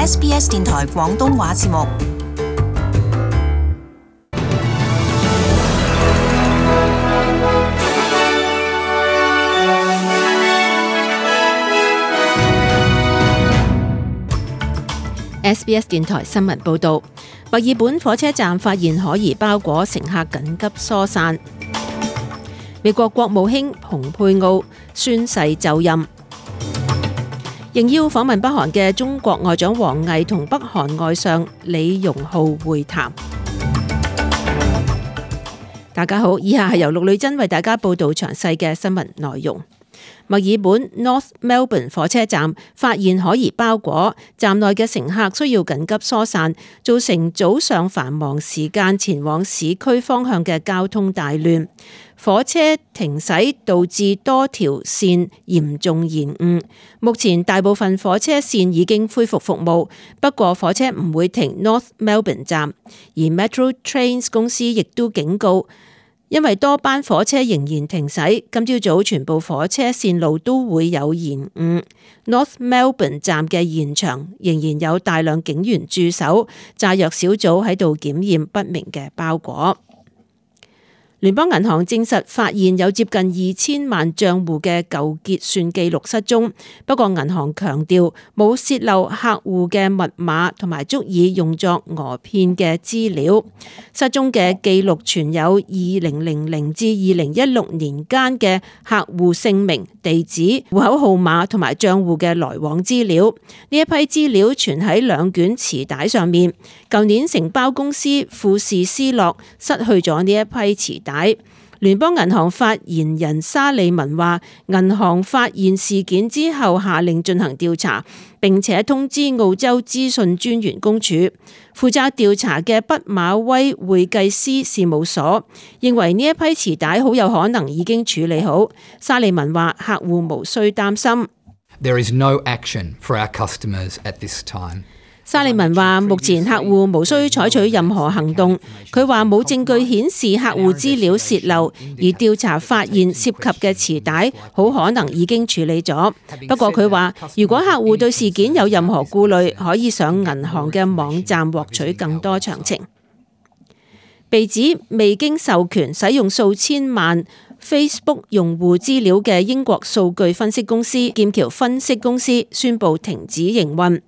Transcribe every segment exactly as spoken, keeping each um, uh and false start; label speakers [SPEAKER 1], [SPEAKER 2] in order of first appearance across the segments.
[SPEAKER 1] S B S 電台廣東話節目。
[SPEAKER 2] S B S 電台新聞報導，墨爾本火車站發現可疑包裹，乘客緊急疏散。美國國務卿蓬佩奧宣誓就任。應邀訪問北韓嘅中國外長王毅同北韓外相李容浩會談。大家好，以下係由陸女真為大家報道詳細嘅新聞內容。墨爾本 North Melbourne 火車站發現可疑包裹，站內嘅乘客需要緊急疏散，造成早上繁忙時間前往市區方向嘅交通大亂。火車停駛導致多條線嚴重延誤。目前大部分火車線已經恢復服務，不過火車唔會停 North Melbourne 站，而 Metro Trains 公司亦都警告，因為多班火車仍然停駛，今朝早全部火車線路都會有延誤。North Melbourne 站嘅現場仍然有大量警員駐守，炸藥小組喺度檢驗不明嘅包裹。聯邦銀行證實發現有接近二千萬賬戶嘅舊結算記錄失蹤，不過銀行強調冇洩漏客戶嘅密碼同埋足以用作訛騙嘅資料。失蹤嘅記錄存有二零零零至二零一六年間嘅客戶姓名、地址、戶口號碼同埋賬戶嘅來往資料。呢一批資料存喺兩卷磁帶上面。舊年承包公司富士斯樂失去咗呢一批磁帶。聯邦銀行發言人沙利文話，銀行發現事件之後下令進行調查，並且通知澳洲資訊專員公署。負責調查嘅畢馬威會計師事務所認為呢一批磁帶好有可能已經處理好。沙利文話，客戶無需擔心。
[SPEAKER 3] There is no action for our customers at this time.
[SPEAKER 2] 沙利文話：目前客戶無需採取任何行動。佢話冇證據顯示客戶資料洩漏，而調查發現涉及嘅磁帶好可能已經處理咗。不過佢話，如果客戶對事件有任何顧慮，可以上銀行嘅網站獲取更多詳情。被指未經授權使用數千萬Facebook 用戶資料嘅英國數據分析公司劍橋分析公司宣布停止營運。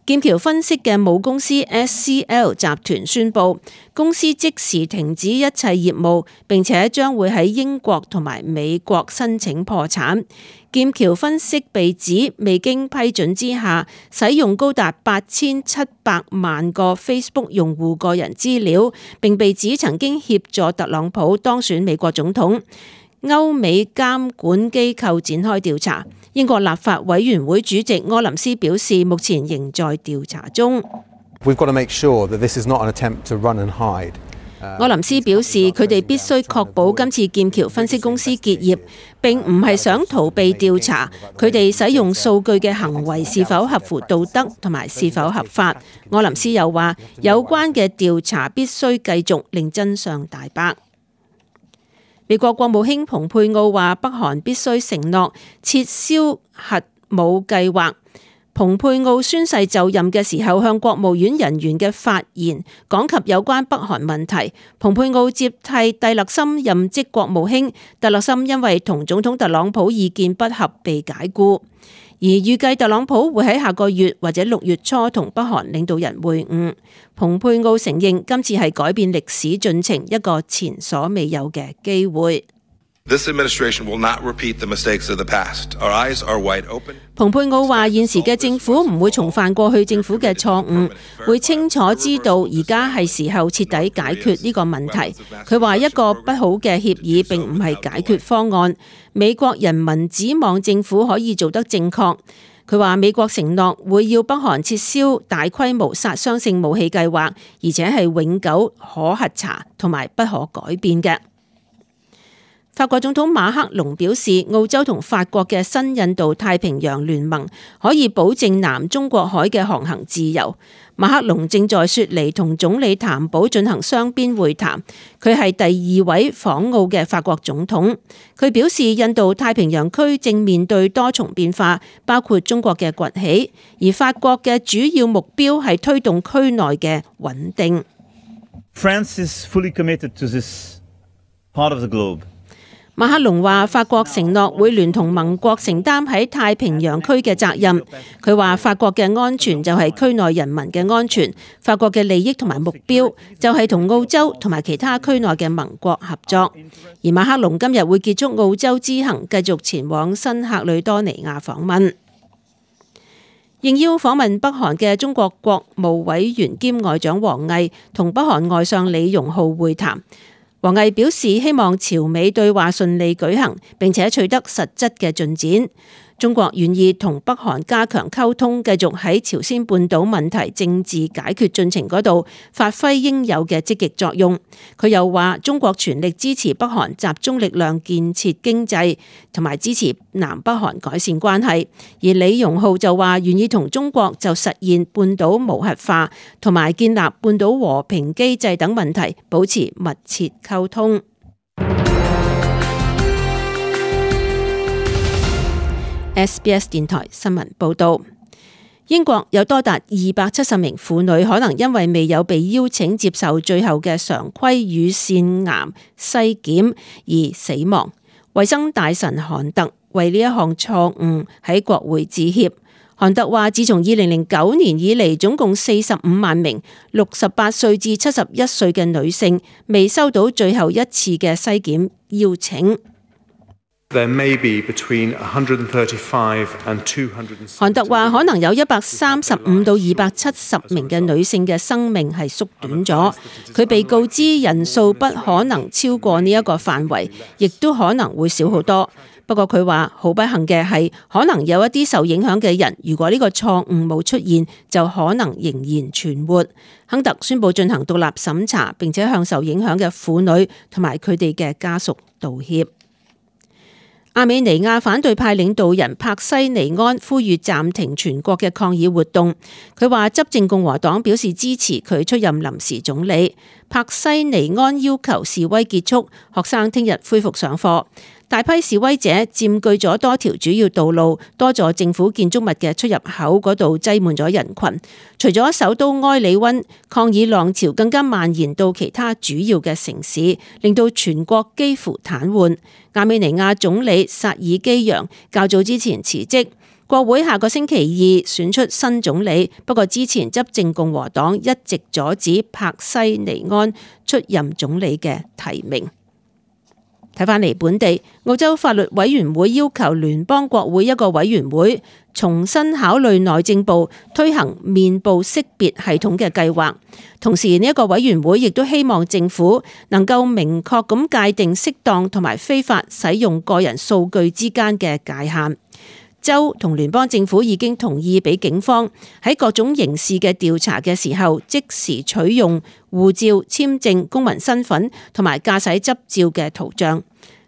[SPEAKER 2] 劍橋分析嘅母公司 S C L 集團宣布，公司即時停止一切業務，並且將會喺英國同埋美國申請破產。劍橋分析被指未經批准之下，使用高達八千七百萬個 Facebook 用戶個人資料，並被指曾經協助特朗普當選美國總統。歐美監管機構展開調查。英國立法委員會主席柯林斯表示，目前仍在調查中。
[SPEAKER 4] We've got to make sure that this is not an attempt to run and hide.
[SPEAKER 2] 柯林斯表示，佢哋必須確保今次劍橋分析公司結業，並唔係想逃避調查。佢哋使用數據嘅行為是否合乎道德同埋是否合法。柯林斯又話，有關嘅調查必須繼續，令真相大白。美國國務卿蓬佩奧話，北韓必須承諾撤銷核武計劃。蓬佩奧宣誓就任嘅時候，向國務院人員嘅發言講及有關北韓問題。蓬佩奧接替蒂勒森任職國務卿，蒂勒森因為同總統特朗普意見不合被解僱。而預計特朗普會喺下個月或者六月初同北韓領導人會晤。蓬佩奧承認今次係改變歷史進程一個前所未有嘅機會。
[SPEAKER 5] This administration will not repeat the mistakes of the past. Our eyes are wide open.
[SPEAKER 2] 蓬佩奧話：現時嘅政府唔會重犯過去政府嘅錯誤，會清楚知道而家係時候徹底解決呢個問題。佢話一個不好嘅協議並唔係解決方案。美國人民指望政府可以做得正確。佢話美國承諾會要北韓撤銷大規模殺傷性武器計劃，而且係永久可核查同埋不可改變嘅。法國總統馬克龍表示，澳洲同法國嘅新印度太平洋聯盟可以保證南中國海嘅航行自由。馬克龍正在雪梨同總理譚寶進行雙邊會談，佢係第二位訪澳嘅法國總統。佢表示，印度太平洋區正面對多重變化，包括中國嘅崛起，而法國嘅主要目標係推動區內嘅穩定。
[SPEAKER 6] France is fully committed to this part of the globe.
[SPEAKER 2] 馬克龍話：法國承諾會聯同盟國承擔喺太平洋區嘅責任。佢話：法國嘅安全就係區內人民嘅安全，法國嘅利益同埋目標就係同澳洲同埋其他區內嘅盟國合作。而馬克龍今日會結束澳洲之行，繼續前往新喀里多尼亞訪問。應邀訪問北韓嘅中國國務委員兼外長王毅同北韓外相李容浩會談。王毅表示希望朝美對話順利舉行，並且取得實質嘅進展。中國願意同北韓加強溝通，繼續喺朝鮮半島問題政治解決進程嗰度發揮應有嘅積極作用。佢又話中國全力支持北韓集中力量建設經濟，同埋支持南北韓改善關係。而李容浩就話願意同中國就實現半島無核化同埋建立半島和平機制等問題保持密切溝通。S B S 電台新聞報道，英國有多達二百七十名婦女可能因為未有被邀請接受最後嘅常規乳腺癌篩檢而死亡。衛生大臣韓特為呢一項錯誤喺國會致歉。韓特話：自從二零零九年以嚟，總共四十五萬名六十八歲至七十一歲嘅女性未收到最後一次嘅篩檢邀請。
[SPEAKER 7] There may be between one hundred thirty-five and two hundred。
[SPEAKER 2] 韓特話可能有一百三十五到二百七十名嘅女性嘅生命係縮短咗。佢被告知人數不可能超過呢一個範圍，亦都可能會少好多。不過佢話好不幸嘅係，可能有一啲受影響嘅人，如果呢個錯誤冇出現，就可能仍然存活。亨特宣布進行獨立審查，並且向受影響嘅婦女同埋佢哋嘅家屬道歉。亞美尼亞反對派領導人帕西尼安呼籲暫停全國嘅抗議活動。佢話執政共和黨表示支持佢出任臨時總理。帕西尼安要求示威結束，學生聽日恢復上課。大批示威者佔據咗多條主要道路，多座政府建築物嘅出入口嗰度擠滿咗人群。除咗首都埃里溫，抗議浪潮更加蔓延到其他主要嘅城市，令到全國幾乎癱瘓。亞美尼亞總理薩爾基揚較早之前辭職，國會下個星期二選出新總理，不過之前執政共和黨一直阻止帕西尼安出任總理嘅提名。睇返嚟本地，澳洲法律委員會要求聯邦國會一個委員會重新考慮內政部推行面部識別系統嘅計劃，同時呢一個委員會亦都希望政府能夠明確咁界定適當同埋非法使用個人數據之間嘅界限。州同聯邦政府已經同意俾警方喺各種刑事嘅調查嘅時候，即時取用護照、簽證、公民身份同埋駕駛執照嘅圖像。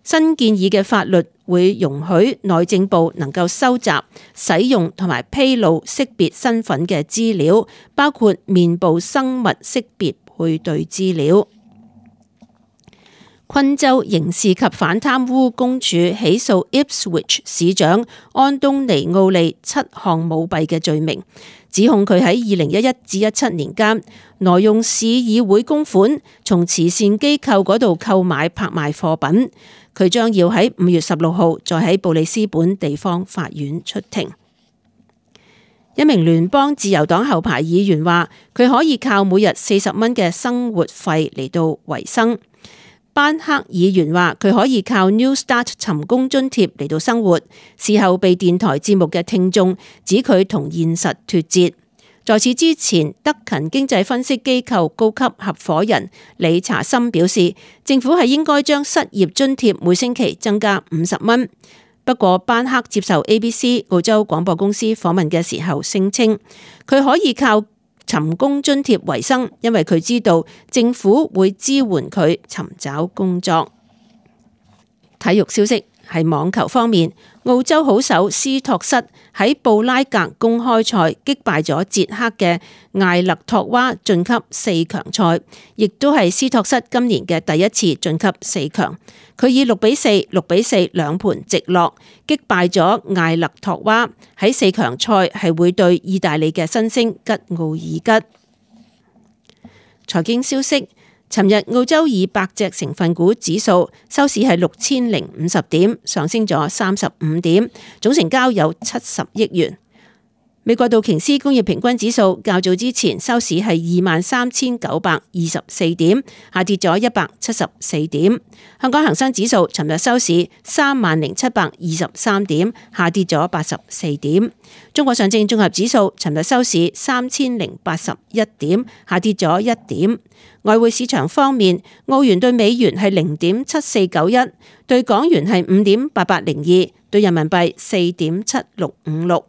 [SPEAKER 2] 新建議嘅法律會容許內政部能夠收集、使用同埋披露識別身份嘅資料，包括面部生物識別配對資料。昆州刑事及反貪污公署起訴 Ipswich 市長安東尼奧利七項舞弊嘅罪名，指控佢喺二零一一至一七年間挪用市議會公款，從慈善機構嗰度購買拍賣貨品。佢將要喺五月十六號再喺布里斯本地方法院出庭。一名聯邦自由黨後排議員話，佢可以靠每日四十蚊嘅生活費嚟到維生。班克議員話佢可以靠 New Start 尋工津貼嚟到生活，事後被電台節目嘅聽眾指佢同現實脫節。在此之前，德勤經濟分析機構高級合夥人理查森表示，政府係應該將失業津貼每星期增加五十蚊。不過班克接受 A B C 澳洲廣播公司訪問嘅時候聲稱，佢可以靠尋工津貼為生，因為佢知道政府會支援佢尋找工作。體育消息係網球方面，澳洲好手斯托瑟喺布拉格公開賽擊敗咗捷克嘅艾勒托娃晉級四強賽，亦都係斯托瑟今年嘅第一次晉級四強。佢以六比四、六比四兩盤直落擊敗咗艾勒托娃，喺四強賽係會對意大利嘅新星吉奧爾吉。財經消息。尋日澳洲二百隻成分股指數收市係六千零五十點，上升咗三十五點，總成交有七十億元。美國道瓊斯工業平均指數較早之前收市係二萬三千九百二十四點，下跌咗一百七十四點。香港恒生指數尋日收市三萬零七百二十三點，下跌咗八十四點。中國上證綜合指數尋日收市三千零八十一點，下跌咗一點。外匯市場方面，澳元對美元係零點七四九一，對港元係五點八八零二，對人民幣四點七六五六。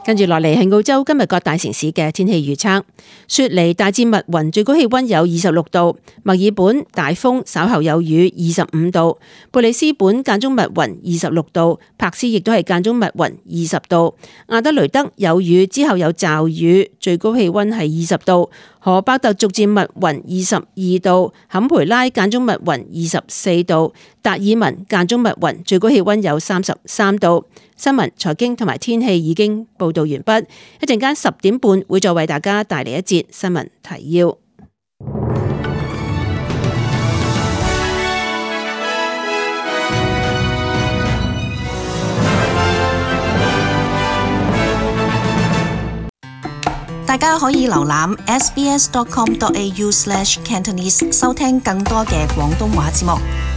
[SPEAKER 2] 跟住落嚟係澳洲今日各大城市嘅天氣預測。雪梨大致密雲，最高氣溫有二十六度；墨爾本大風，稍後有雨，二十五度；布里斯本間中密雲，二十六度；柏斯亦都係間中密雲，二十度；阿德雷德有雨之後有驟雨，最高氣溫係二十度；荷伯特逐漸密雲，二十二度；坎培拉間中密雲，二十四度；達爾文間中密雲，最高氣溫有三十三度。新聞、財經同埋天氣已經報道完畢，一陣間十點半會再為大家帶嚟一節新聞提要。
[SPEAKER 1] 大家可以瀏覽 s b s dot com dot a u slash cantonese 收聽更多嘅廣東話節目。